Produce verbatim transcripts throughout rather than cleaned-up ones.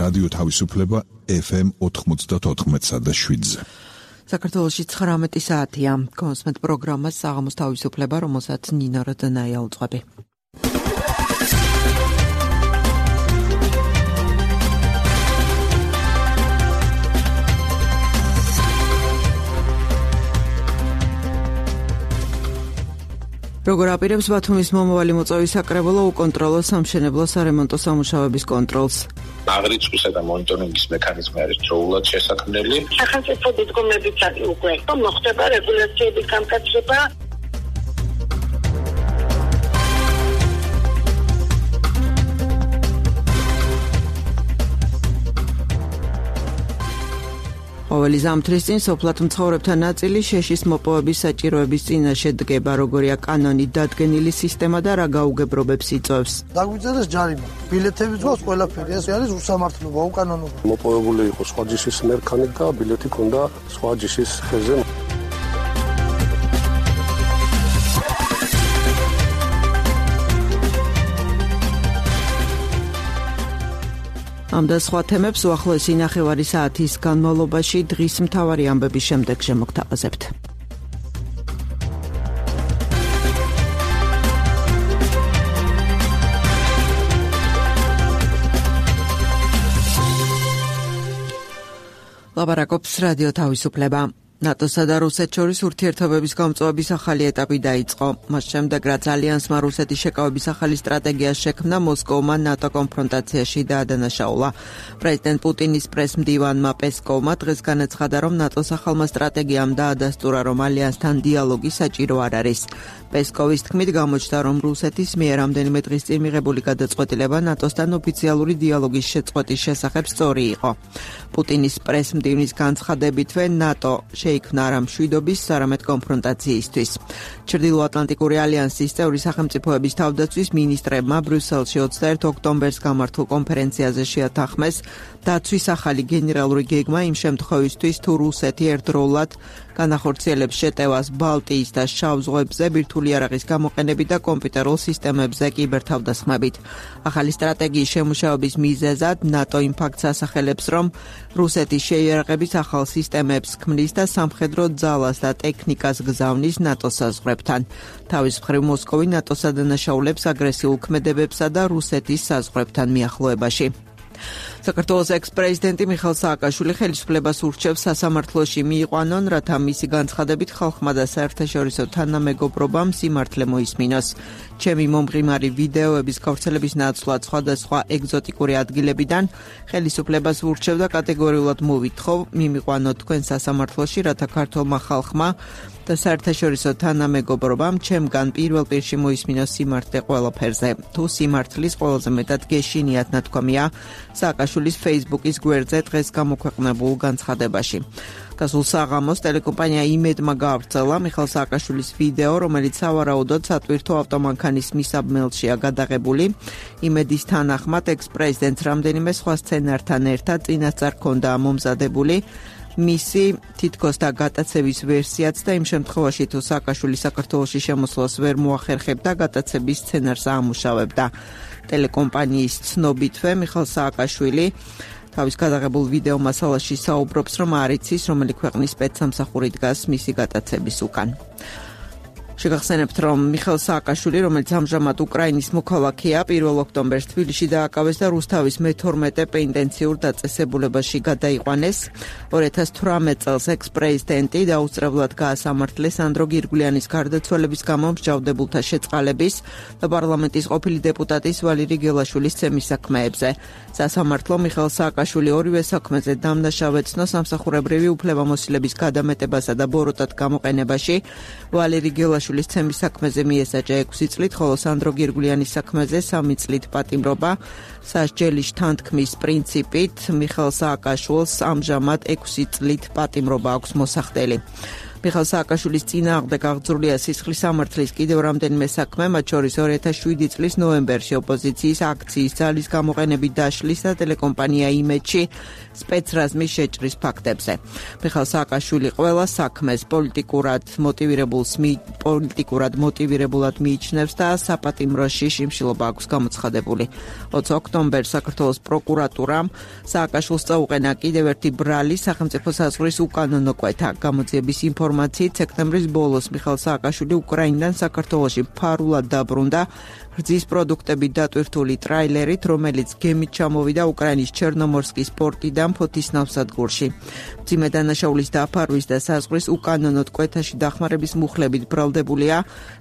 რადიო თავისუფლება ეფ ემ ოთხმოცდაოთხ და შვიდზე. საქართველოში ცხრამეტი საათია. კონსმეთ პროგრამას საღამოს თავისუფლება, რომელსაც ნინო როდანაია უძღვები. როგორ აპირებს ბათუმის მომავალი მოწვევის საკრებულო უკონტროლო სამშენებლო სარემონტო სამუშაოების კონტროლს? აღრიცხვისა და მონიტორინგის მექანიზმი არის დროულად შესაქმნელი. სახელმწიფო დგომებიც არის უკვე. მოხდება რეგულაციების გამკაცება. ყოველი ზამთრის წინ სოფლად მცხოვრებთა ნაწილი შეშის მოპოვების საჭიროების წინაშე დგება, როგორია კანონით დადგენილი სისტემა და რა გაუგებრობებს იწვევს. დაგვიწერეს ჯარიმა. ბილეთები ძვავს ყველაფერი, ეს არის უსამართლობა, უკანონობა. მოპოვებული იყო სხვა ჯიშის მერქანით და ბილეთი ჰქონდა სხვა ჯიშის ხეზე. ამ და სხვა თემებს უახლოესი ნახევარი საათის განმავლობაში დღის მთავარი ამბების შემდეგ შემოგთავაზებთ. ლაპარაკობს რადიო თავისუფლება. ნატოსა და რუსეთს შორის ურთიერთობების გამწვავების ახალი ეტაპი დაიწყო. მას შემდეგ, რაც ალიანსმა რუსეთის შეკავების ახალი სტრატეგია შექმნა, მოსკოვმა ნატო კონფრონტაციაში დაადანაშაულა. პრეზიდენტ პუტინის პრესმდივანმა პესკოვმა დღეს განაცხადა, რომ ნატოს ახალმა სტრატეგიამ დაადასტურა, რომ ალიანსთან დიალოგი საჭირო არ არის. პესკოვის თქმით, გამოჩნდა, რომ რუსეთის მიერ რამდენიმე დღის წინ მიღებული გადაწყვეტილება ნატოსთან ოფიციალური დიალოგის შეწყვეტის შესახებ სწორი იყო. პუტინის პრესმდივნის განცხადებითვე ნატო შეიქმნა არა მშვიდობის, არამედ კონფრონტაციისთვის. ჩრდილოატლანტიკური ალიანსის წევრი სახელმწიფოების თავდაცვის მინისტრებმა ბრიუსელში ოცდაერთი ოქტომბერს გამართულ კონფერენციაზე შეათანხმეს დაცვის ახალი გენერალური გეგმა იმ შემთხვევისთვის, თუ რუსეთი ერთდროულად განახორციელებს შეტევას ბალტიის და შავ ზღვებზე ბირთვული იარაღის გამოყენებით და კომპიუტერულ სისტემებზე კიბერთავდასხმებით. ახალი სტრატეგიის შემუშავების მიზეზად ნატო იმ ფაქტს ასახელებს, რომ რუსეთის შეიარაღების ახალ სისტემებს ქმნის და სამხედრო ძალას და ტექნიკას გზავნის ნატოს საზღვრებთან. თავის მხრივ მოსკოვი ნატოს ადანაშაულებს აგრესიულ ქმედებებსა და რუსეთის საზღვრებთან მიახლოებაში. საქართველოს ექს-პრეზიდენტი მიხეილ სააკაშვილი ხელისუფლებას ურჩევს სასამართლოში მიიყვანონ, რათა მისი განცხადებით ხალხმა და საერთაშორისო თანამეგობრობამ სიმართლე მოისმინოს. ჩემი მომღიმარი ვიდეოების გავრცელების ნაცვლად სხვადასხვა ეგზოტიკური ადგილებიდან ხელისუფლებას ურჩევ და კატეგორიულად მოვითხოვ, მიმიყვანოთ თქვენ სასამართლოში, რათა ქართულმა ხალხმა და საერთაშორისო თანამეგობრობამ ჩემგან პირველ პირში მოისმინოს სიმართლე ყველაფერზე. თუ სიმართლის ყველაზე მეტად გეშინიათ ნათქვამია სააკაშვილის Facebook-ის გვერდზე დღეს გამოქვეყნებულ განცხადებაში. გასულ საღამოს ტელეკომპანია იმედმა გაავრცელა მიხეილ სააკაშვილის ვიდეო, რომელიც სავარაუდოდ სატვირთო ავტომანქანის მისაბმელშია გადაღებული. იმედის თანახმად ექს-პრეზიდენტს რამდენიმე სხვა სცენართან ერთად წინასწარ ჰქონდა მომზადებული მისი თითქოს და გატაცების ვერსიაც და იმ შემთხვევაში თუ სააკაშვილი საქართველოში შემოსვლას ვერ მოახერხებდა, გატაცების სცენარს აამუშავებდა. ტელეკომპანიის ცნობითვე მიხეილ სააკაშვილი თავის გადაღებულ ვიდეო მასალაში საუბრობს, რომ არ იცის, რომელი ქვეყნის სპეცსამსახური დგას მისი გატაცების უკან. შეგახსენებთ, რომ მიხეილ სააკაშვილი, რომელიც ამჟამად უკრაინის მოქალაქეა, პირველ ოქტომბერს თბილისში დააკავეს და რუსთავის მეთორმეტე პენიტენციურ დაწესებულებაში გადაიყვანეს. ორი ათას თვრამეტ წელს ექს-პრეზიდენტი დაუსწრებლად გაასამართლეს სანდრო გირგვლიანის გარდაცვალების გამო მსჯავრდებულთა შეწყალების და პარლამენტის ყოფილი დეპუტატის ვალერი გელაშვილის ცემის საქმეებზე. სასამართლო მიხეილ სააკაშვილი ორივე საქმეზე დამნაშავე ცნო სამსახურებრივი უფლებამოსილების გადამეტებასა და ბოროტად გამოყენებაში. ვალერი გელაშვილის ცემის საქმეზე მიესაჯა ექვსი წლით, ხოლო სანდრო გირგვლიანის საქმეზე სამი წლით პატიმრობა. სასჯელის თანთქმის პრინციპით მიხეილ სააკაშვილს ამჟამად ექვსი წლით პატიმრობა აქვს მოსახდელი. მიხაილ სააკაშვილის წინააღმდეგ აღძრულია სისხლის სამართლის კიდევ რამდენიმე საქმე, მათ შორის ორი ათას შვიდი წლის ნოემბერში ოპოზიციის აქციის ძალის გამოყენებით დაშლისა ტელეკომპანია იმედში სპეცრაზმის შეჭრის ფაქტებზე. მიხაილ სააკაშვილი ყველა საქმეს პოლიტიკურად მოტივირებულს პოლიტიკურად მოტივირებულად მიიჩნევს და საპატიმროში შიმშილობა აქვს გამოცხადებული. ოცი ოქტომბერს საქართველოს პროკურატურამ სააკაშვილს წაუყენა კიდევ ერთი ბრალი სახელმწიფო საზღვრის უკანონო კვეთა. გამოძიების ინფორმაციით სექტემბრის ბოლოს მიხაილ სააკაშვილი უკრაინიდან საქართველოში ფარულად დაბრუნდა რძის პროდუქტებით დატვირთული ტრაილერით, რომელიც გემით ჩამოვიდა უკრაინის ჩერნომორსკის პორტიდან ფოთის ნავსადგურში. მძიმე დანაშაულის დაფარვის და საზღვრის უკანონოდ კვეთაში დახმარების მუხლებით ბრალდებულია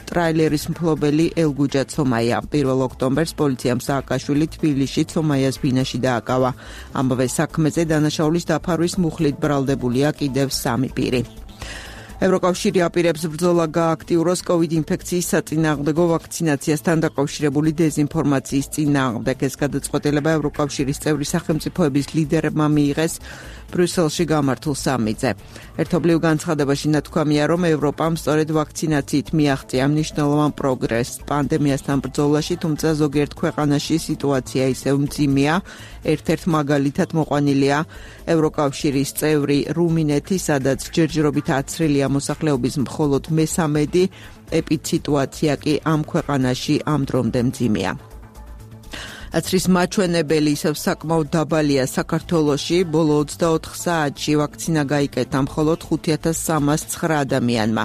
ტრაილერის მფლობელი ელგუჯა ცომაია. პირველ ოქტომბერს პოლიციამ სააკაშვილი თბილისში ცომაიას ბინაში დააკავა. ამავე საქმეზე დანაშაულის დაფარვის მუხლით ბრალდებულია კიდევ სამი პირი. ევროკავშირი აპირებს ბრძოლა გააქტიუროს კოვიდ ინფექციის საწინააღმდეგო ვაქცინაციასთან დაკავშირებული დეზინფორმაციის წინააღმდეგ. ეს გადაწყვეტილება ევროკავშირის წევრი სახელმწიფოების ლიდერებმა მიიღეს ბრიუსელში გამართულ სამიტზე. ერთობლივ განცხადებაში ნათქვამია, რომ ევროპამ სწორედ ვაქცინაციით მიაღწია მნიშვნელოვან პროგრესს პანდემიასთან ბრძოლაში, თუმცა ზოგიერთ ქვეყანაში სიტუაცია ისევ მძიმეა. ერთ-ერთ მაგალითად მოყვანილია ევროკავშირის წევრი რუმინეთი, სადაც ჯერჯერობით აცრილია მოსახლეობის მხოლოდ მესამედი, ეპიდსიტუაცია კი ამ ქვეყანაში ამ დრომდე მძიმეა. აცრის მაჩვენებელი ისევ საკმაოდ დაბალია საქართველოში, ბოლო ოცდაოთხ საათში ვაქცინა გაიკეთა მხოლოდ ხუთი ათას სამას ცხრა ადამიანმა.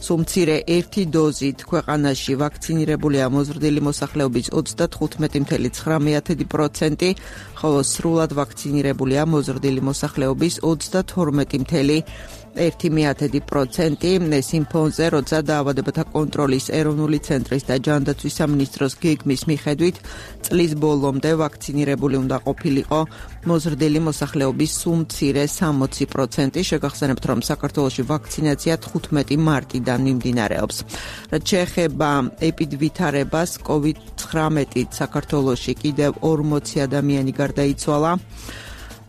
სულ მცირე ერთი დოზით ქვეყანაში ვაქცინირებულია მოზრდილი მოსახლეობის ოცდათხუთმეტი წამსული ცხრა პროცენტი, ხოლო სრულად ვაქცინირებულია მოზრდილი მოსახლეობის ოცდათორმეტი წამსული ერთი პროცენტი. ეს იმ ფონზე, როცა დაავადებათა კონტროლის ეროვნული ცენტრის და ჯანდაცვის სამინისტროს გეგმის მიხედვით წლის ბოლომდე ვაქცინირებული უნდა ყოფილიყო მოზრდილი მოსახლეობის სულ მცირე სამოცი პროცენტი. შეგახსენებთ, რომ საქართველოში ვაქცინაცია თხუთმეტი მარტიდან მიმდინარეობს. რაც შეეხება ეპიდვითარებას, კოვიდ ცხრამეტით საქართველოში კიდევ ორმოცი ადამიანი გარდაიცვალა.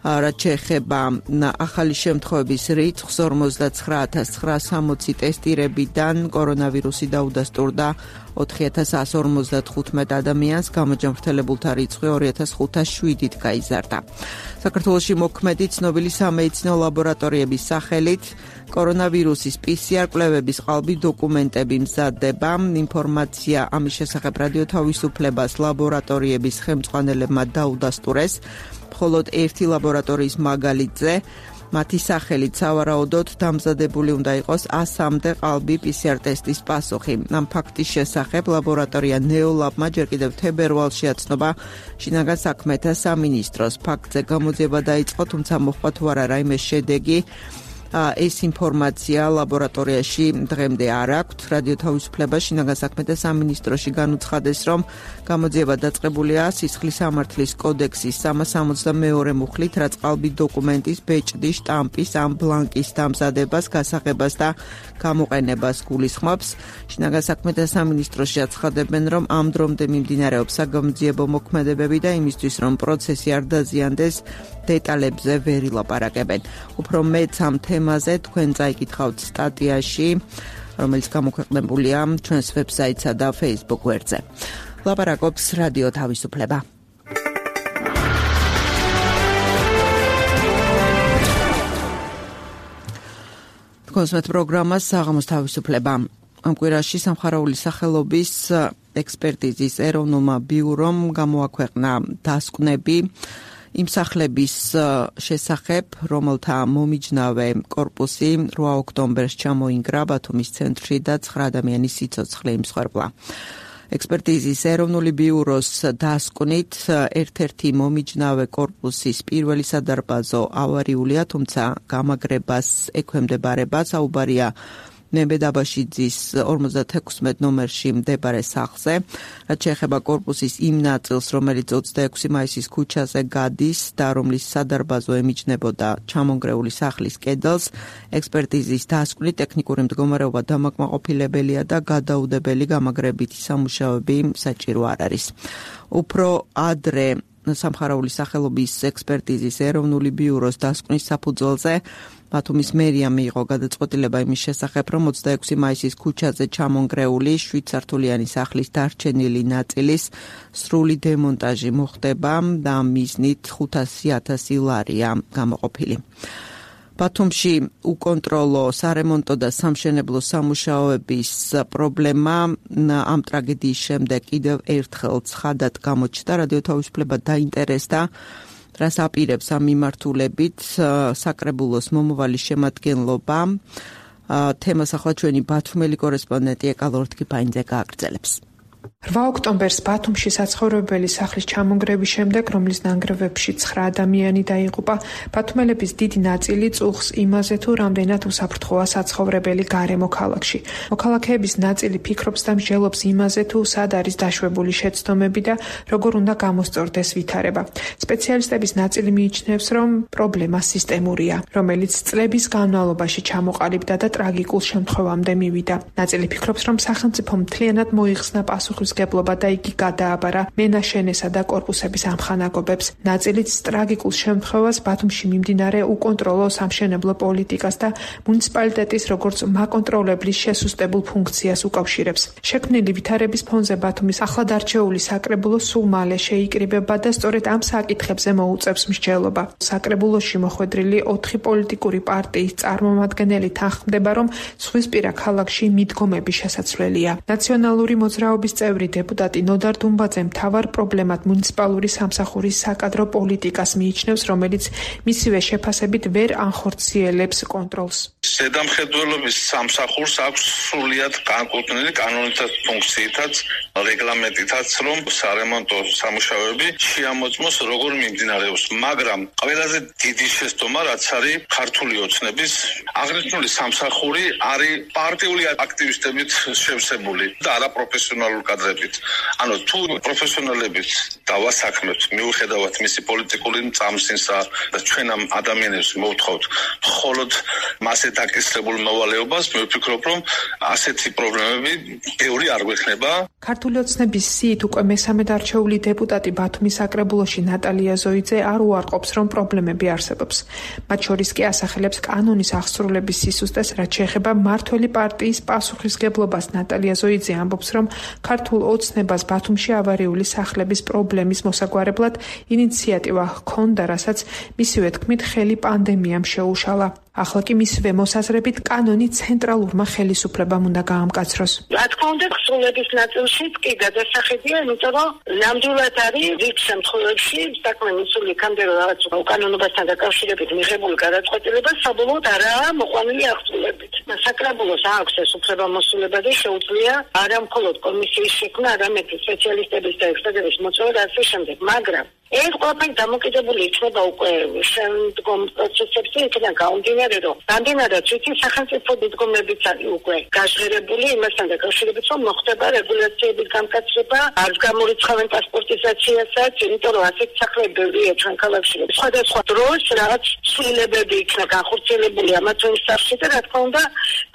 რაც შეეხება ახალი შემთხვევების რიცხვს, ორმოცდაცხრა ათას ცხრაას სამოცი ტესტირებიდან კორონავირუსი დაუდასტურდა ოთხი ათას εκατო ორმოცდათხუთმეტ ადამიანს, გამოჯანმრთელებულთა რიცხვი ორი ათას ხუთას შვიდით გაიზარდა. საქართველოში მოქმედი ცნობილი სამედიცინო ლაბორატორიების სახელით კორონავირუსის პი სი არ კვლევების ყალბი დოკუმენტები მზადდება. ინფორმაცია ამის შესახებ რადიო თავისუფლებას ლაბორატორიების ხელმძღვანელებმა დაუდასტურეს. მხოლოდ ერთი ლაბორატორიის მაგალითზე მათი სახელით სავარაუდოდ დამზადებული უნდა იყოს ასამდე ყალბი პი სი არ ტესტის პასუხი. ამ ფაქტის შესახებ ლაბორატორია ნეოლაბმა ჯერ კიდევ თებერვალში აცნობა შინაგან საქმეთა სამინისტროს. ფაქტზე გამოძიება დაიწყო, თუმცა მოხდა თუ არა რაიმე შედეგი, ეს ინფორმაცია ლაბორატორიაში დღემდე არ აქვთ. რადიო თავისუფლება შინაგან საქმეთა სამინისტროში განუცხადეს, რომ გამოძიება დაწყებულია სისხლის სამართლის კოდექსის სამას სამოცდამეორე მუხლით, რაც ყალბი დოკუმენტის ბეჭდის, შტამპის ან ბლანკის დამზადებას, გასაღებას და გამოყენებას გულისხმობს. შინაგან საქმეთა სამინისტროში აცხადებენ, რომ ამ დრომდე მიმდინარეობს საგამოძიებო მოქმედებები და იმისთვის, რომ პროცესი არ დაზიანდეს, დეტალებზე ვერ ილაპარაკებენ. უფრო მეც ამ თემაზე თქვენ წაიკითხავთ სტატიაში, რომელიც გამოქვეყნებულია ჩვენს ვებსაიტსა და Facebook გვერდზე. ლაპარაკობს რადიო თავისუფლება. კონსმეთ პროგრამას საღამოს თავისუფლება. ამ კვირაში სამხარაული სახელობის ექსპერტიზის ეროვნულმა ბიურომ გამოაქვეყნა დასკვნები იმ სახლების შესახებ, რომელთა მომიჯნავე კორპუსი რვა ოქტომბერს ჩამოინგრა ბათუმის ცენტრში და ცხრა ადამიანის სიცოცხლე იმსხვერპლა. ექსპერტიზის ეროვნული ბიუროს დასკვნით ერთ-ერთი მომიჯნავე კორპუსის პირველი სადარბაზო ავარიულია, თუმცა გამაგრებას ექვემდებარება. საუბარია ნებედაბაშიძის ორმოცდათექვსმეტ ნომერში მდებარე სახლზე. რაც შეეხება კორპუსის იმ ნაწილს, რომელიც ოცდაექვსი მაისის ქუჩაზე გადის და რომლის სადარბაზო ემიჯნებოდა ჩამონგრეული სახლის კედელს, ექსპერტიზის დასკვნით ტექნიკური მდგომარეობა დამაკმაყოფილებელია და გადაუდებელი გამაგრებითი სამუშაოები საჭირო არ არის. უფრო ადრე სამხარაული სახელობის ექსპერტიზის ეროვნული ბიუროს დასკვნის საფუძველზე ბათუმის მერია მიიღო გადაწყვეტილება იმის შესახებ, რომ ოცდაექვსი მაისის ქუჩაზე ჩამონგრეული შვიდსართულიანი სახლის დარჩენილი ნაწილის სრული დემონტაჟი მოხდება და მიზნით ხუთასი ათასი ლარია გამოყოფილი. ბათუმში უკონტროლო სარემონტო და სამშენებლო სამუშაოების პრობლემა ამ ტრაგედიის შემდეგ კიდევ ერთხელ ცხადად გამოჩნდა. რადიო თავისუფლება დაინტერესდა, რას აპირებს ამ მიმართულებით საკრებულოს მომავალი შემადგენლობა. თემას ახლა ჩვენი ბათუმელი კორესპონდენტი ეკალ ორთქიფაინძე გააგრძელებს. რვა ოქტომბერს ბათუმში საცხოვრებელი სახლის ჩამონგრევის შემდეგ, რომლის ნანგრევებში ცხრა ადამიანი დაიღუპა, ბათუმელების დიდი ნაწილი წუხს იმაზე, თუ რამდენად უსაფრთხოა საცხოვრებელი გარემო ქალაქში. მოქალაქეების ნაწილი ფიქრობს და მსჯელობს იმაზე, თუ სად არის დაშვებული შეცდომები და როგორ უნდა გამოსწორდეს ვითარება. სპეციალისტების ნაწილი მიიჩნევს, რომ პრობლემა სისტემურია, რომელიც წლების განმავლობაში ჩამოყალიბდა და ტრაგიკულ შემთხვევამდე მივიდა. ნაწილი ფიქრობს, რომ სახელმწიფო მთლიანად მოიხსნა პასუხისმგებლობა და იგი გადააბარა მენაშენესა და კორპუსების ამხანაგობებს. ნაწილიც ტრაგიკულ შემთხვევას ბათუმში მიმდინარე უკონტროლო სამშენებლო პოლიტიკას და მუნიციპალიტეტის როგორც მაკონტროლებლის შესუსტებულ ფუნქციას უკავშირებს. შექმნილი ვითარების ფონზე ბათუმის ახლადარჩეული საკრებულო სულ მალე შეიკრიბება და სწორედ ამ საკითხებზე მოუწევს მსჯელობა. საკრებულოში მოხვედრილი ოთხი პოლიტიკური პარტიის წარმომადგენელი თანხმდება, რომ ზღვისპირა ქალაქში მიდგომები შესაძლებელია. ნაციონალური მოძრაობის წევრი დეპუტატი ნოდარ დუმბაძე მთავარ პრობლემად მუნიციპალური სამსახურის საკადრო პოლიტიკას მიიჩნევს, რომელიც მისივე შეფასებით ვერ ანხორციელებს კონტროლს. ზედამხედველობის სამსახურს აქვს სრულიად განკუთვნილი კანონითაც ფუნქციითაც, რეგლამენტითაც, რომ სარემონტო სამუშაოები შეამოწმოს როგორ მიმდინარეობს, მაგრამ ყველაზე დიდი შეცდომა, რაც არის ქართული ოცნების აღნიშნული სამსახური არის პარტიული აქტივისტებით შევსებული და არაპროფესიონალურ კადრებით. ანუ თუ პროფესიონალებით დავასაქმებთ, მიუხედავად მისი პოლიტიკური წამსინსა და ჩვენ ამ ადამიანებს მოვთხოვთ მხოლოდ მასე დაკისრებულ მოვალეობას, მე ვფიქრობ, რომ ასეთი პრობლემები ბევრი არ გვექნება. ქართული ოცნების სიით უკვე მესამე დარჩეული დეპუტატი ბათუმის საკრებულოში ნატალია ზოიძე არ უარყოფს, რომ პრობლემები არსებობს. მათ შორის კი ასახელებს კანონის აღსრულების სისუსტეს, რაც შეეხება მმართველი პარტიის პასუხისმგებლობას. ნატალია ზოიძე ამბობს, რომ ქართულ ოცნებას ბათუმში ავარიული სახლების პრობლემის მოსაგვარებლად ინიციატივა ჰქონდა, რასაც მისივე თქმით ხელი პანდემიამ შეუშალა. ახლა კი მისივე მოსაზრებით კანონი ცენტრალურმა ხელისუფლებამ უნდა გაამკაცროს. რა თქმა უნდა, ხსრულების ნაწილშიც კი გადასახედია, იმიტომ რომ ნამდვილად არის რიგ შემთხვევებში საქმე მისული იქამდე რომ რაღაც უკანონობასთან დაკავშირებით მიღებული გადაწყვეტილება საბოლოოდ არაა მოყვანილი აღსრულებით. საკრებულოს აქვს ეს უფლებამოსილება და შეუძლია არა მხოლოდ კომისიის შექმნა, არამედ სპეციალისტების და ექსპერტების მოწვევა და ასე შემდეგ, მაგრამ ეს ყველაფერი დამოკიდებული იქნება უკვე შემდგომ პროცესებზე, იქიდან გამომდინარე, რომ რამდენადაც ვიცი, სახელმწიფო მიდგომებიც არის უკვე გაჟღერებული იმასთან დაკავშირებით, რომ მოხდება რეგულაციების გამკაცრება, არც გამორიცხავენ პასპორტიზაციასაც, იმიტომ რომ ასეთ სახლები ბევრია ჩვენ ქალაქში. სხვადასხვა დროს რაღაც ცვლილებები იქნა განხორციელებული ამათ სახლში და რა თქმა უნდა,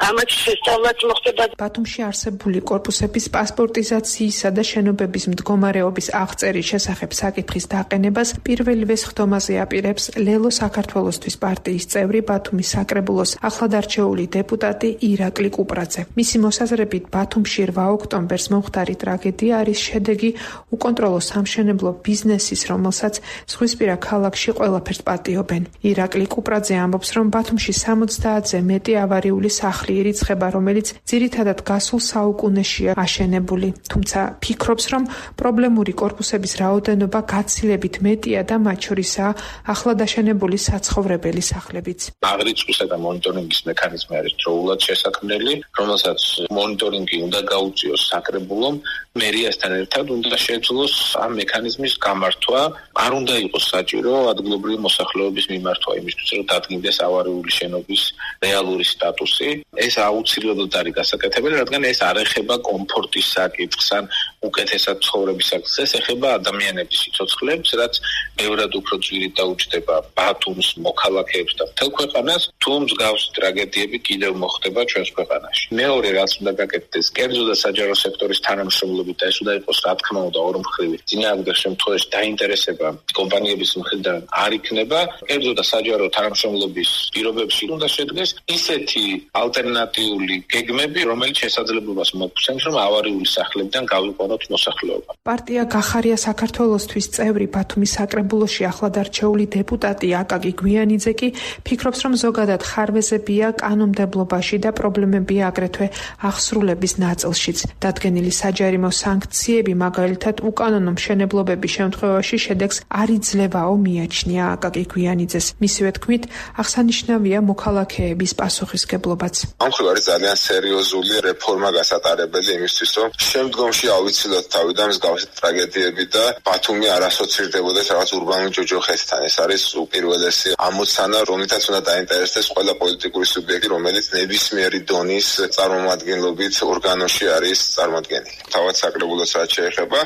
ამათ შესწავლაც მოხდება. ბათუმში არსებული კორპუსების პასპორტიზაციისა და შენობების მდგომარეობის აღწერის შესახებ საკითხის დაყენებას პირველივე სხდომაზე აპირებს ლელო საქართველოსთვის პარტიის წევრი ბათუმის საკრებულოს ახლადარჩეული დეპუტატი ირაკლი კუპრაძე. მისი მოსაზრებით ბათუმში რვა ოქტომბერს მომხდარი ტრაგედია არის შედეგი უკონტროლო სამშენებლო ბიზნესის, რომელსაც ზღვისპირა ქალაქში ყველაფერს პატიობენ. ირაკლი კუპრაძე ამბობს, რომ ბათუმში სამოცდაათზე მეტი ავარიული სახლი ირიცხება, რომელიც ძირითადად გასულ საუკუნეშია აშენებული. თუმცა ფიქრობს, რომ პრობლემური კორპუსების რაოდენობა გაცილებით მეტია და მათ შორისაა ახლადაშენებული საცხოვრებელი სახლებიც. აღრიცხვისა და მონიტორინგის მექანიზმი არის დროულად შესაქმნელი, რომელსაც მონიტორინგი უნდა გაუწიოს საკრებულომ, მერიასთან ერთად უნდა შეძლოს ამ მექანიზმის გამართვა. არ უნდა იყოს საჭირო ადგილობრივი მოსახლეობის მიმართვა იმისთვის, რომ დადგინდეს ავარიული შენობის რეალური სტატუსი. ეს აუცილებლად არის გასაკეთებელი, რადგან ეს არ ეხება კომფორტის საკითხს ან უკეთესად ცხოვრების საკითხს, ეს ეხება ადამიანების სიცოცხლებს, რაც ბევრად უფრო ძვირით დაუჯდება ბათუმს, მოქალაქეებს და მთელ ქვეყანას. თუ მსგავსი ტრაგედიები კიდევ მოხდება ჩვენს ქვეყანაში. მეორე რაც უნდა გაკეთდეს, კერძო და საჯარო სექტორის თანამშრომლობით და ეს უნდა იყოს რა თქმა უნდა ორმხრივი. წინააღმდეგ შემთხვევაში დაინტერესება კომპანიების მხრიდან არ იქნება, კერძო და საჯარო თანამშრომლობის პირობებში უნდა შედგეს ისეთი ალტერნატიული გეგმები, რომელიც შესაძლებლობას მოგცემს, რომ ავარიული სახლებიდან გავიყვანოთ მოსახლეობა. პარტია გახარია საქართველოსთვის წევრი ბათუმის საკრებულოში ახლად არჩეული დეპუტატი აკაკი გვიანიძე კი ფიქრობს, რომ ზოგადად ხარვეზებია კანონმდებლობაში და პრობლემებია აგრეთვე აღსრულების ნაწილშიც. დადგენილი საჯარიმო სანქციები, მაგალითად უკანონო მშენებლობების შემთხვევაში შედეგს არ იძლევაო მიაჩნია აკაკი გვიანიძეს. მისივე თქმით, აღსანიშნავია მოქალაქეების პასუხისგებლობაც. ამ მხრივ არის ძალიან სერიოზული რეფორმა გასატარებელი იმისთვის, რომ შემდგომში ავიცილოთ თავიდან მსგავსი ტრაგედიები და ბათუმი არ ასოცირდებოდეს რაღაც ურბანულ ჯოჯოხეთთან. ეს არის უპირველესი ამოცანა, რომლითაც უნდა დაინტერესდეს ყველა პოლიტიკური სუბიექტი, რომელიც ნებისმიერი დონის წარმომადგენლობით ორგანოში არის წარმოდგენილი. თავად საკრებულოს რაც შეეხება,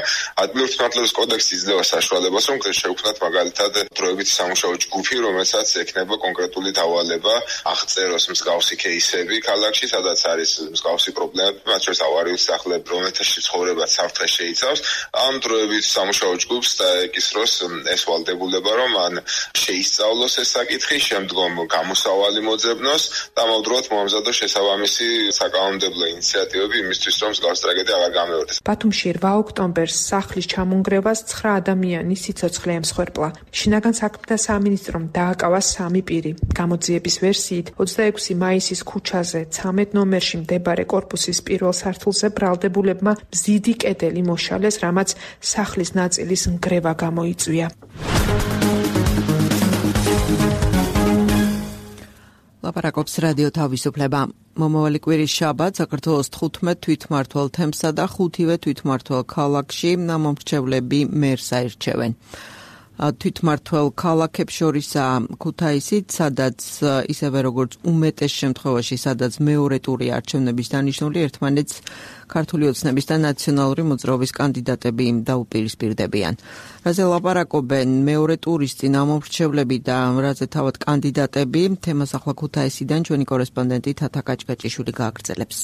ადგილობრივი მართლობის კოდექსი იძლევა საშუალებას, რომ შევქმნათ მაგალითად დროებითი სამუშაო ჯგუფი, რომელსაც ექნება კონკრეტული დავალება აღწეროს მსგავსი кейსები ქალაქში, სადაც არის მსგავსი პრობლემები, მათ შორის ავარიული სახლები, რომელთა ცხოვრება საფრთხე შეიცავს. ამ დროებითი სამუშაო ჯგუფს დაეკისროს ეს ვალდებულება, რომ ან შეისწავლოს ეს საკითხი, შემდგომ გამოსავალი მოძებნოს და ამავდროულად მოამზადოს შესაბამისი საკანონმდებლო ინიციატივები იმისთვის, რომ მსგავსი ტრაგედია აღარ გამეორდეს. ბათუმში რვა ოქტომბერს სახლის ჩამონგრევას ცხრა ადამიანის სიცოცხლე ემსხვერპლა. შინაგან საქმეთა სამინისტრომ დააკავა სამი პირი. გამოძიების ვერსიით, ოცდაექვსი მაისის ქუჩაზე ცამეტ ნომერში მდებარე კორპუსის პირველ სართულზე ბრალდებულებმა მზიდი კედელი მოშალეს, რამაც სახლის ნაწილის ნგრევა გამოიწვია. ლაპარაკობს რადიო თავისუფლება. მომავალი კვირის შაბათ საქართველოს თხუთმეტ თვითმმართველ თემსა და ხუთივე თვითმმართველ ქალაქში მომრჩევლები მერს აირჩევენ. თვითმმართველ ქალაქებს შორისაა ქუთაისიც, სადაც ისევე როგორც უმეტეს შემთხვევაში, სადაც მეორე ტური არჩევნების დანიშნული, ერთმანეთს ქართული ოცნების და ნაციონალური მოძრაობის კანდიდატები დაუპირისპირდებიან. რაზე ლაპარაკობენ მეორე ტურის წინ ამომრჩევლები და რაზე თავად კანდიდატები, თემას ახლა ქუთაისიდან ჩვენი კორესპონდენტი თათა კაჭკაჭიშვილი გააგრძელებს.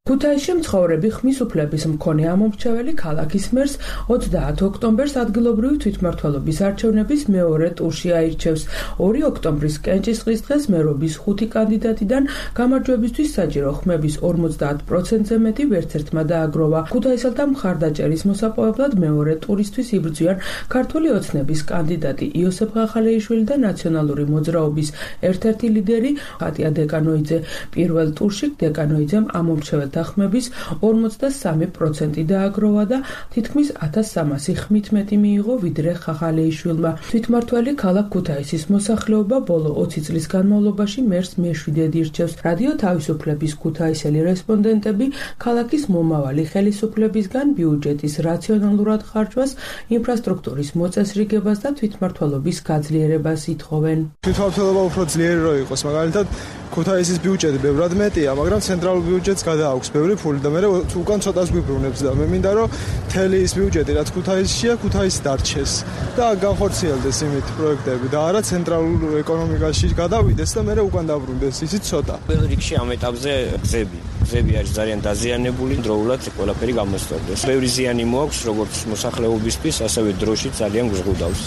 ქუთაისში მცხოვრები ხმის უფლების მქონე ამომრჩეველი ქალაქის მერს ოცდაათი ოქტომბერს ადგილობრივი თვითმმართველობის არჩევნების მეორე ტურში აირჩევს. ორი ოქტომბრის კენჭისყრის დღეს მერობის ხუთი კანდიდატიდან გამარჯვებისთვის საჭირო ხმების ორმოცდაათ პროცენტზე მეტი ვერცერთმა დააგროვა. ქუთაისელთა მხარდაჭერის მოსაპოვებლად მეორე ტურისთვის იბრძვიან ქართული ოცნების კანდიდატი იოსებ ხახალეიშვილი და ნაციონალური მოძრაობის ერთ-ერთი ლიდერი ხატია დეკანოიძე. პირველ ტურში დეკანოიძემ ამომრჩეველთა ხმების ორმოცდასამი პროცენტი დააგროვა და თითქმის ათას სამასი ხმით მეტი მიიღო ვიდრე ხახალეიშვილმა. თვითმმართველი ქალაქ ქუთაისის მოსახლეობა ბოლო ოცი წლის განმავლობაში მერს მეშვიდედ ირჩევს. რადიო თავისუფლების ქუთაისელი რესპონდენტები ქალაქის მომავალი ხელისუფლებისგან ბიუჯეტის რაციონალურად ხარჯვას, ინფრასტრუქტურის მოწესრიგებას და თვითმმართველობის გაძლიერებას ითხოვენ. თვითმმართველობა უფრო ძლიერი რო იყოს, მაგალითად ქუთაისის ბიუჯეტი ბევრად მეტია, მაგრამ ცენტრალურ ბიუჯეტს გადააქვს ბევრი ფული და მე უკან ცოტას გვიბრუნებს და მე მინდა რომ მთელი ის ბიუჯეტი რაც ქუთაისშია, ქუთაისს დარჩეს და განხორციელდეს იმით პროექტები და არა ცენტრალურ ეკონომიკაში გადავიდეს და მე უკან დაბრუნდეს, ისიც ცოტა. პირველ რიგში ამ ეტაპზე გზები. გზები არის ძალიან დაზიანებული, დროულად ყველაფერი გამოსწორდეს. ბევრი ზიანი მოაქვს როგორც მოსახლეობისთვის, ასევე დროში ძალიან გზღუდავს.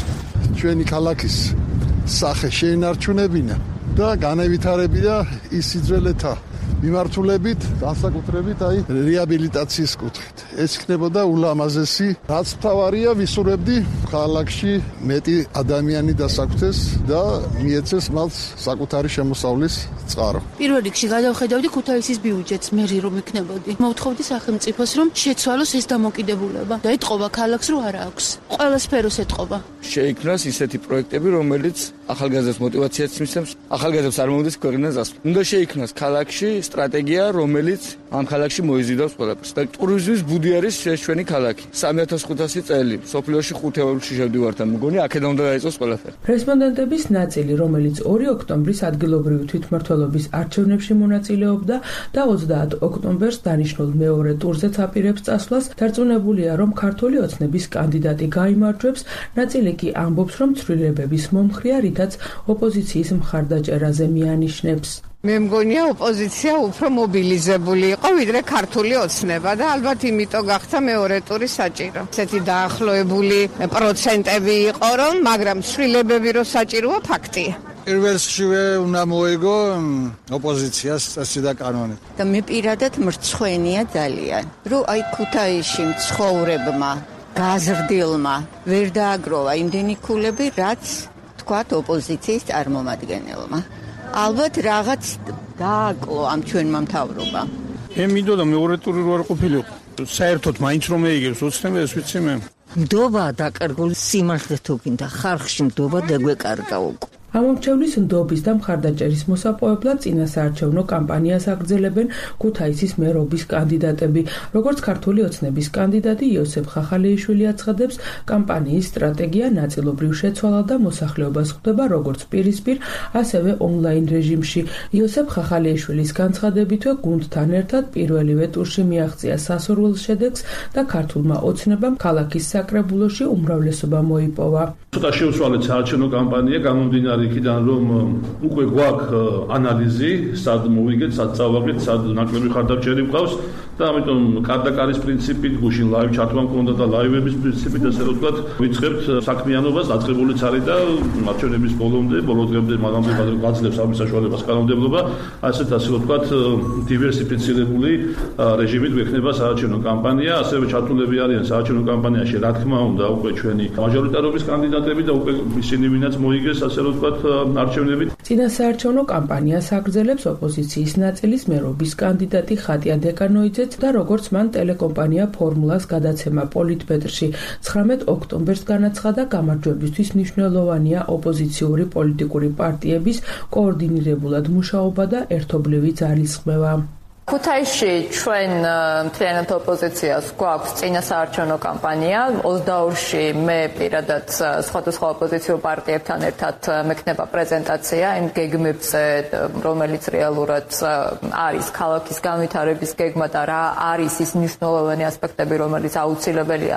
ჩვენი ქალაქის სახე შეინარჩუნებინა და განევითარებია ის სიძველეთა მიმართულებით, განსაკუთრებით აი რეაბილიტაციის კუთხით. ეს იქნებოდა ულამაზესი, რაც მთავარია ვისურვებდი ქალაქში მეტი ადამიანი დასაკვთეს და მიეცეს მათ საკუთარი შემოსავლის წყარო. პირველ რიგში გადავხედავდი ქუთაისის ბიუჯეტს, მე რომ იქნებოდი. მოვთხოვდი სახელმწიფოს რომ შეცვალოს ეს დამოკიდებულება და ეთყობა ქალაქს რომ არა აქვს. ყველა სფეროს ეთყობა. შეიქმნას ისეთი პროექტები, რომელიც ახალგაზრდებს мотивაციას მისცემს, ახალგაზრდებს არ მომდის ქვეყნიდან წასვლა. უნდა შეიქმნას ქალაქში სტრატეგია, რომელიც ამ ქალაქში მოიზიდავს ყველაფერს. და ტურიზმის ბუდი არის ჩვენი ქალაქი. სამი ათას ხუთასი წელი, სოფლიოში ხუთი ევროში შევდივართ, მგონი აქედან უნდა დაიწყოს ყველაფერი. რესპონდენტების ნაწილი, რომელიც ორი ოქტომბრის ადგილობრივი თვითმმართველობის არჩევნებში მონაწილეობდა და ოცდაათ ოქტომბერს დანიშნულ მეორე ტურზეც აპირებს წასვლას, დარწმუნებულია, რომ ქართული ოცნების კანდიდატი გაიმარჯვებს, ნაწილი კი ამბობს, რომ ცვლილებების მომხრეა, რითაც ოპოზიციის მხარდაჭერაზე მიანიშნებს. მე მგონია ოპოზიცია უფრო მობილიზებული იყო ვიდრე ქართული ოცნება და ალბათ იმიტომ გახდა მეორე ტური საჭირო. ესეთი დაახლოებული პროცენტები იყო რომ, მაგრამ ცვლილებები რო საჭიროა ფაქტია. პირველშივე უნდა მოიგო ოპოზიციას წესი და კანონი. და მე პირადად მრცხვენია ძალიან, რომ აი ქუთაისში მცხოვრებმა გაზრდილმა ვერ დააგროვა იმდენი ქულები, რაც თქვათ ოპოზიციის წარმომადგენელმა. ალბათ რაღაც დააკლო ამ ჩვენმა მთავრობამ. მე მინდოდა მეორე ტური რო არ ყოფილიყო. საერთოდ მაინც რომ ეიგებს ოცნება ეს ვიცი მე. ნდობა დაკარგული სიმართლე თუ გინდა ხალხში ნდობა დაგვეკარგა უკვე. ამომრჩევლის ნდობის და მხარდაჭერის მოსაპოვებლად წინასაარჩევნო კამპანიას აგრძელებენ ქუთაისის მერობის კანდიდატები. როგორც ქართული ოცნების კანდიდატი იოსებ ხახალეიშვილი აცხადებს, კამპანიის სტრატეგია ნაწილობრივ შეცვალა და მოსახლეობას ხვდება როგორც პირისპირ, ასევე ონლაინ რეჟიმში. იოსებ ხახალეიშვილის განცხადებითვე გუნდთან ერთად პირველივე ტურში მიაღწია სასურველ შედეგს და ქართულმა ოცნებამ ქალაქის საკრებულოში უმრავლესობა მოიპოვა. ცოტა შეუსვალეთ საარჩევნო კამპანია, გამომდინარე იქიდან რომ უკვე გვაქვს ანალიზი, სად მოვიგეთ, სად წავაგეთ, სად ნაკლები ხარდაჭერი გვყავს და ამიტომ კარ-და-კარის პრინციპით, გუშინ ლაივ ჩართვა მქონდა და ლაივების პრინციპით ასე რომ ვთქვათ, ვიწყებთ საქმიანობას, დაწყებულიც არის და არჩევნების ბოლომდე, ბოლო დღემდე მაგამდე გაძლევს ამის საშუალებას კანონმდებლობა, ასეთ ასე რომ ვთქვათ, დივერსიფიცირებული რეჟიმით გვექნება საარჩევნო კამპანია, ასევე ჩართულები არიან საარჩევნო კამპანიაში, რა თქმა უნდა, უკვე ჩვენი მაჟორიტარობის კანდიდატები და უკვე ისინი ვინაც მოიგეს, ასე რომ ვთქვათ, არჩევნებით. წინასაარჩევნო კამპანიას აგრძელებს ოპოზიციის ნაწილის მერობის კანდიდატი ხატია დეკანოიძეც და როგორც მან ტელეკომპანია ფორმულას გადაცემა პოლიტბეტრში ცხრამეტ ოქტომბერს განაცხადა, გამარჯვებისთვის მნიშვნელოვანია ოპოზიციური პოლიტიკური პარტიების координირებულად მუშაობა და ერთობლივი ძალისხმევა. ქუთაისში ჩვენ მთლიანად ოპოზიციას გვაქვს წინასაარჩევნო კამპანია. ოცდაორში მე პირადად სხვადასხვა ოპოზიციურ პარტიებთან ერთად მექნება პრეზენტაცია იმ გეგმებზე, რომელიც რეალურად არის ქალაქის განვითარების გეგმა და რა არის ის მნიშვნელოვანი ასპექტები, რომელიც აუცილებელია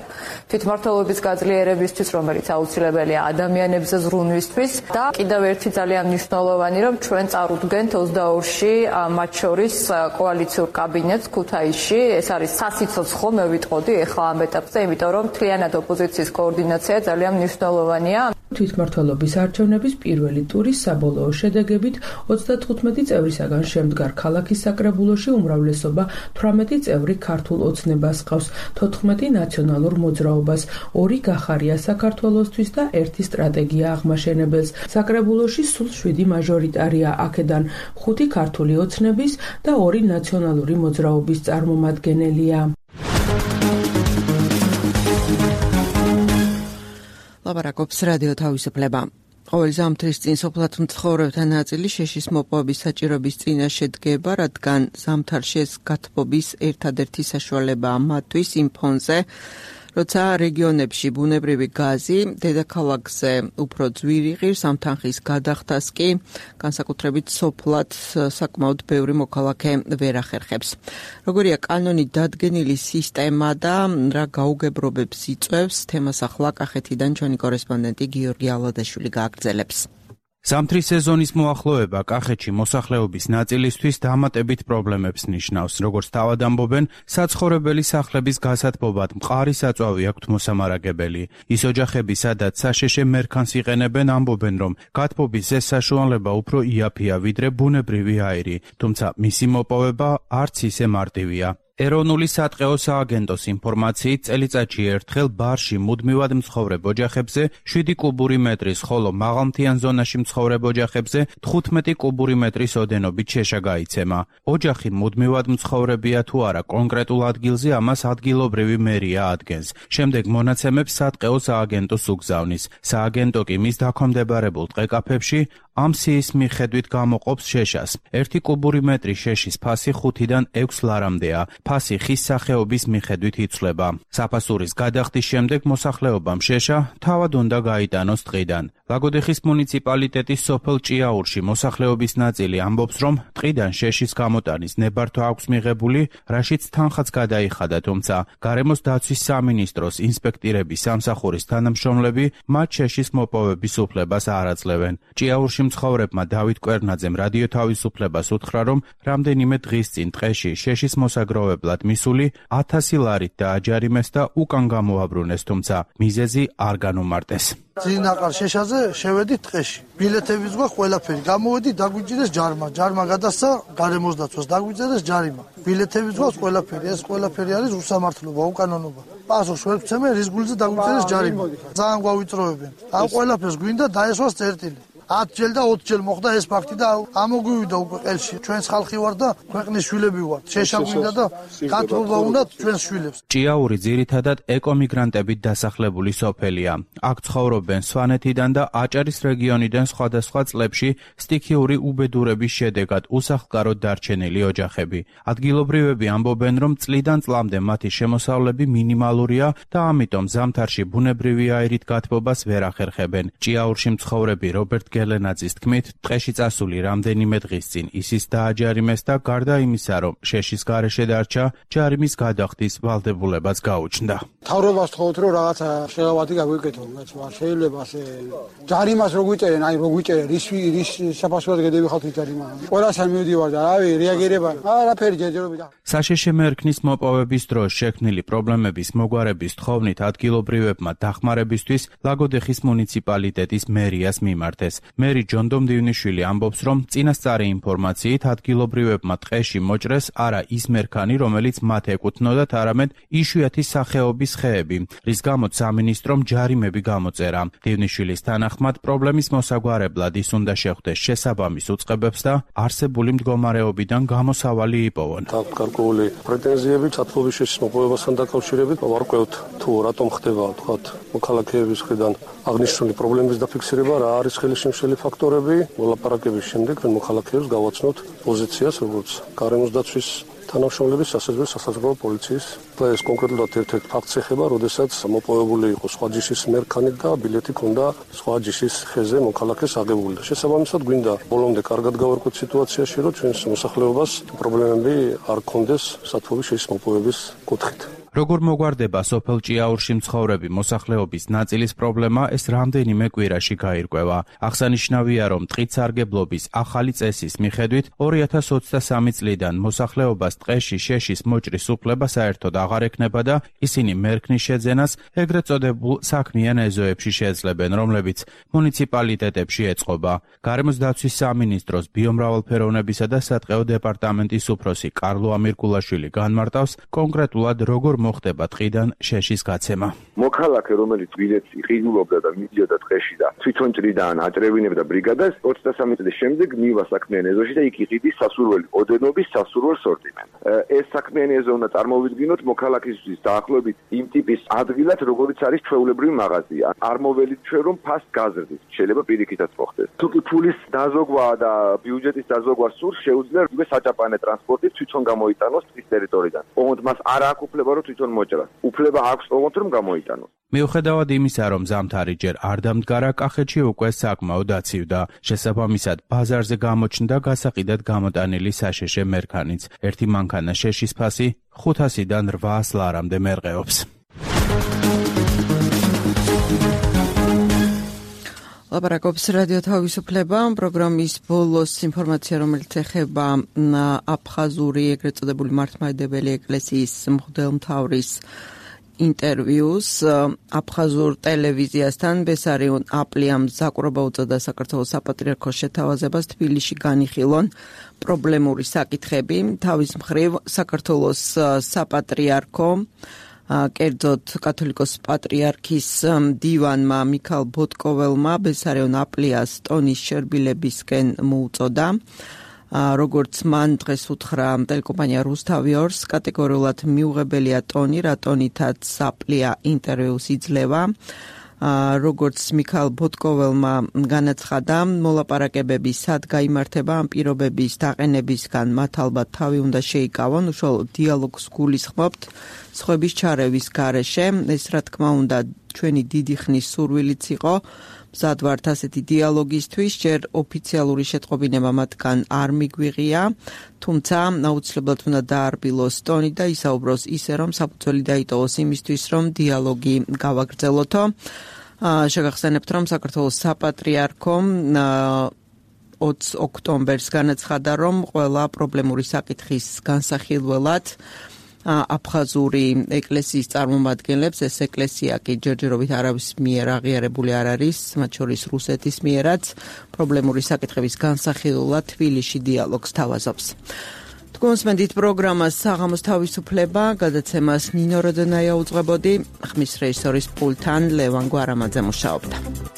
თვითმმართველობის გაძლიერებისთვის, რომელიც აუცილებელია ადამიანებზე ზრუნვისთვის და კიდევ ერთი ძალიან მნიშვნელოვანი, რომ ჩვენ წარუდგენთ ოცდაორში მათ შორის კოალიციურ კაბინეტს ქუთაისში. ეს არის სასიცოცხლო, მე ვიტყოდი ახლა ამ ეტაპზე, იმიტომ რომ მთლიანად ოპოზიციის კოორდინაცია ძალიან მნიშვნელოვანია. თვითმმართველობის არჩევნების პირველი ტურის საბოლოო შედეგებით ოცდათხუთმეტი წევრისაგან შემდგარ ქალაქის საკრებულოში უმრავლესობა თვრამეტი წევრი ქართულ ოცნებას ყავს, თოთხმეტი ნაციონალურ მოძრაობას, ორი გახარია საქართველოსთვის და ერთი სტრატეგია აღმაშენებელს. საკრებულოში სულ შვიდი მაჟორიტარია, აქედან ხუთი ქართული ოცნების და ორი ნაციონალური მოძრაობის წარმომადგენელია. ლაპარაკობს რადიო თავისუფლება. ყოველ ზამთრის წინ სოფლად მცხოვრებთა ნაწილი შეშის მოპოვების საჭიროების წინაშე დგება, რადგან ზამთარში ეს გათბობის ერთადერთი საშუალებაა მათთვის იმ ფონზე, როცა რეგიონებში ბუნებრივი გაზი დედაქალაქზე უფრო ძვირი ღირს, ამ თანხის გადახდას კი განსაკუთრებით სოფლად საკმაოდ ბევრი მოქალაქე ვერ ახერხებს. როგორია კანონით დადგენილი სისტემა და რა გაუგებრობებს იწვევს, თემას ახლა კახეთიდან ჩვენი კორესპონდენტი გიორგი ალადაშვილი გააგრძელებს. ზამთრის სეზონის მოახლოება კახეთში მოსახლეობის ნაწილისთვის დამატებით პრობლემებს ნიშნავს. როგორც თავად ამბობენ, საცხოვრებელი სახლების გასათბობად მყარი საწვავი აქვთ მოსამარაგებელი. ის ოჯახები, სადაც საშეშე მერქანს იყენებენ, ამბობენ, რომ გათბობის ეს საშუალება უფრო იაფია ვიდრე ბუნებრივი აირი, თუმცა მისი მოპოვება არც ისე მარტივია. ეროვნული სატყეო სააგენტოს ინფორმაციით წელიწადში ერთხელ ბარში მუდმივად მცხოვრებ ოჯახებზე შვიდი კუბური მეტრის, ხოლო მაღალმთიან ზონაში მცხოვრებ ოჯახებზე თხუთმეტი კუბური მეტრის ოდენობით შეშა გაიცემა. ოჯახი მუდმივად მცხოვრებია თუ არა კონკრეტულ ადგილზე, ამას ადგილობრივი მერია ადგენს. შემდეგ მონაცემებს სატყეო სააგენტოს უგზავნის. სააგენტო კი მის დაქვემდებარებულ ტყეკაფებში ამ სიის მიხედვით გამოყოფს შეშას. ერთი კუბური მეტრი შეშის ფასი ხუთიდან ექვს ლარამდეა. ფასი ხის სახეობის მიხედვით იცვლება. საფასურის გადახდის შემდეგ მოსახლეობამ შეშა თავად უნდა გაიტანოს ტყიდან. ლაგოდეხის მუნიციპალიტეტის სოფელ ჭიაურში მოსახლეობის ნაწილი ამბობს, რომ ტყიდან შეშის გამოტანის ნებართვა აქვს მიღებული, რაშიც თანხაც გადაიხადა, თუმცა გარემოს დაცვის სამინისტროს ინსპექტირების სამსახურის თანამშრომლები მათ შეშის მოპოვების უფლებას არ აძლევენ. ჭიაურში მცხოვრებმა დავით კვერნაძემ რადიო თავისუფლებას უთხრა, რომ რამდენიმე დღის წინ ტყეში შეშის მოსაგროვებლად მისული ათასი ლარით დააჯარიმეს და უკან გამოაბრუნეს, თუმცა მიზეზი არ განუმარტეს. ძინაყარ შეშაზე შევედით ტყეში. ბილეთებიც გვაქვს ყველაფერი. გამოვედი დაგვიჭირეს ჯარმა. ჯარმა გადასცა გარემოს დაცვას, დაგვიწერეს ჯარიმა. ბილეთებიც გვაქვს ყველაფერი. ეს ყველაფერი არის უსამართლობა, უკანონობა. პასუხს ვერ ვცემენ, რის გულზე დაგვიწერეს ჯარიმა. ძალიან გვავიწროებენ. ამ ყველაფერს გვინდა დაესვას წერტილი. ათ ჯერ და ოცი ჯერ მოხდა ეს ფაქტი და ამოგვივიდა უკვე ყელში. ჩვენს ხალხი ვარ და ქვეყნის შვილები ვარ. შეშა გვინდა და გათხოვება უნდა ჩვენს შვილებს. ჭიაური ძირითადად ეკომიგრანტებით დასახლებული სოფელია. აქ ცხოვრობენ სვანეთიდან და აჭარის რეგიონიდან სხვადასხვა წლებში სტიქიური უბედურების შედეგად უსახლკაროდ დარჩენილი ოჯახები. ადგილობრივები ამბობენ, რომ წლიდან წლამდე მათი შემოსავლები მინიმალურია და ამიტომ ზამთარში ბუნებრივი აირით გათბობას ვერ ახერხებენ. ჭიაურში მცხოვრები რობერტ გელენაძის თქმით, ტყეში წასული რამდენიმე დღის წინ ისიც დააჯარიმეს და გარდა იმისა, რომ შეშის გარეშე დარჩა, ჯარიმის გადახდის ვალდებულებაც გაუჩნდა. თავრობას თხოვთ, რომ რაღაცა შეღავათი გაგვიკეთონ, რაც შეიძლება ასე ჯარიმას რო გვიწერენ, აი რო გვიწერენ, რის რის საფასურად გადავიხავთ ჯარიმა. ყველასთან მივდივარ და რავი, რეაგირება, არაფერი ჯერჯერობით. საშეშე მერქნის მოპოვების დროს შექმნილი პრობლემების მოგვარების თხოვნით ადგილობრივებმა დახმარებისთვის ლაგოდეხის მუნიციპალიტეტის მერიას მიმართეს. მერი ჯონდო მდივნიშვილი ამბობს, რომ წინასწარი ინფორმაციით ადგილობრივებმა ტყეში მოჭრეს არა ის მერქანი, რომელიც მათ ეკუთვნოდათ, არამედ იშვიათი სახეობის ხეები, რის გამოც სამინისტრომ ჯარიმები გამოწერა. მდივნიშვილის თანახმად, პრობლემის მოსაგვარებლად ის უნდა შეხვდეს შესაბამის უწყებებს და არსებული მდგომარეობიდან გამოსავალი იპოვონ. გარკვეული პრეტენზიები ჩათვლობის შეშის მოპოვებასთან დაკავშირებით ვარკვევთ, თუ რატომ ხდება, თქვათ, მოქალაქეების მხრიდან აღნიშნული პრობლემის დაფიქსირება, რა არის ხელისშემშელი ფაქტორები, მოლაპარაკების შემდეგ მოქალაქეებს გავაცნოთ პოზიციას, როგორც გარემოს დაცვის თანამშრომლების, ასევე სასაზღვრო პოლიციის. ეს კონკრეტულად ერთ-ერთ ფაქტს ეხება, როდესაც მოპოვებული იყო სხვა ჯიშის მერქანი და ბილეთი ჰქონდა სხვა ჯიშის ხეზე მოქალაქეს აღებული. შესაბამისად, გვინდა ბოლომდე კარგად გავარკვეთ სიტუაციაში, რომ ჩვენს მოსახლეობას პრობლემები არ ჰქონდეს სათბობის შეშის მოპოვების კუთხით. როგორ მოგვარდება სოფელ ჭიაურში მცხოვრები მოსახლეობის ნაწილის პრობლემა, ეს რამდენიმე კვირაში გაირკვევა. აღსანიშნავია, რომ ტყით სარგებლობის ახალი წესის მიხედვით ორი ათას ოცდასამი წლიდან მოსახლეობას ტყეში შეშის მოჭრის უფლება საერთოდ აღარ ექნება და ისინი მერქნის შეძენას ეგრეთ წოდებულ საქმიან ეზოებში შეძლებენ, რომლებიც მუნიციპალიტეტებში ეწყობა. გარემოს დაცვის სამინისტროს ბიომრავალფეროვნებისა და სატყეო დეპარტამენტის უფროსი კარლო ამირკულაშვილი განმარტავს კონკრეტულად როგორ მოხდება ტყიდან შეშის გაცემა. მოქალაქე, რომელიც ბილეთს იყიდულობდა და მიდიოდა ტყეში და თვითონ ჭრიდან აჭრევინებდა ბრიგადას, ოცდასამი წლის შემდეგ მივა საქმიან ეზოში და იქ იყიდის სასურველი ოდენობის სასურველ სორტიმენტს. ეს საქმიანი ეზო უნდა წარმოვიდგინოთ მოქალაქისთვის დაახლოებით იმ ტიპის ადგილად, როგორიც არის ჩვეულებრივი მაღაზია. არ მოველით ჩვენ, რომ ფასს გაზრდით. შეიძლება პირიქითაც მოხდეს. თუ კი ფულის დაზოგვა და ბიუჯეტის დაზოგვა სურს, შეუძლია რიგე საჭაპანე ტრანსპორტით თვითონ გამოიტანოს ტყის ტერიტორიიდან. ოღონდ მას არ აქვს უფლება, რომ თვითონ მოჭრას. უფლება აქვს ოღონდ რომ გამოიტანოს. მიუხედავად იმისა, რომ ზამთარი ჯერ არ დამდგარა, კახეთში უკვე საკმაოდ აცივდა. შესაბამისად, ბაზარზე გამოჩნდა გასაყიდად გამოტანილი საშეშე მერქანიც. ერთი მანქანა შეშის ფასი ხუთასიდან რვაას ლარამდე მერყეობს. ლაპარაკობს რადიო თავისუფლება, პროგრამის ბოლოს ინფორმაცია, რომელიც ეხება აფხაზური ეგრეთ წოდებული მართლმადიდებელი ეკლესიის მღვდელმთავრის ინტერვიუს აფხაზურ ტელევიზიასთან. ბესარიონ აპლიამ ზაკრობა უწოდა საქართველოს საპატრიარქოს შეთავაზებას თბილისში განიხილონ პრობლემური საკითხები. თავის მხრივ საქართველოს საპატრიარქო კერძოდ კათოლიკოს პატრიარქის მდივანმა მიქალ ბოტკოველმა ბესარიონ აპლიას ტონის შერბილებისკენ მოუწოდა. როგორც მან დღეს უთხრა ტელეკომპანია რუსთავიორს, კატეგორიულად მიუღებელია ტონი, რა ტონითაც აპლია ინტერვიუს იძლევა. როგორც მიხაილ ბოტკოველმა განაცხადა, მოლაპარაკებები სად გაიმართება ამ პირობების დაყენებისგან მათ ალბათ თავი უნდა შეიკავონ, უშუალოდ დიალოგს გულისხმობთ სხვების ჩარევის გარეშე. ეს რა თქმა უნდა ჩვენი დიდი ხნის სურვილიც იყო. მზად ვართ ასეთი დიალოგისთვის, ჯერ ოფიციალური შეტყობინება მათგან არ მიგვიღია, თუმცა აუცილებლად უნდა დაარბილოს ტონი და ისაუბროს ისე, რომ საფუძველი დაიტოვოს იმისთვის, რომ დიალოგი გავაგრძელოთო. შეგახსენებთ, რომ საქართველოს საპატრიარქომ ოცი ოქტომბერს განაცხადა, რომ ყველა პრობლემური საკითხის განსახილველად აფხაზური ეკლესიის წარმომადგენლებს, ეს ეკლესია კი ჯერჯერობით არავის მიერ აღიარებული არ არის, მათ შორის რუსეთის მიერაც პრობლემური საკითხების განსახილველად თბილისში დიალოგს თავაზობს. თქვენსმენდით პროგრამას საღამოს თავისუფლება, გადაცემას ნინო როდონაია უძღვებოდი, ხმის რეჟისორის პულტთან ლევან გვარამაძე მუშაობდა.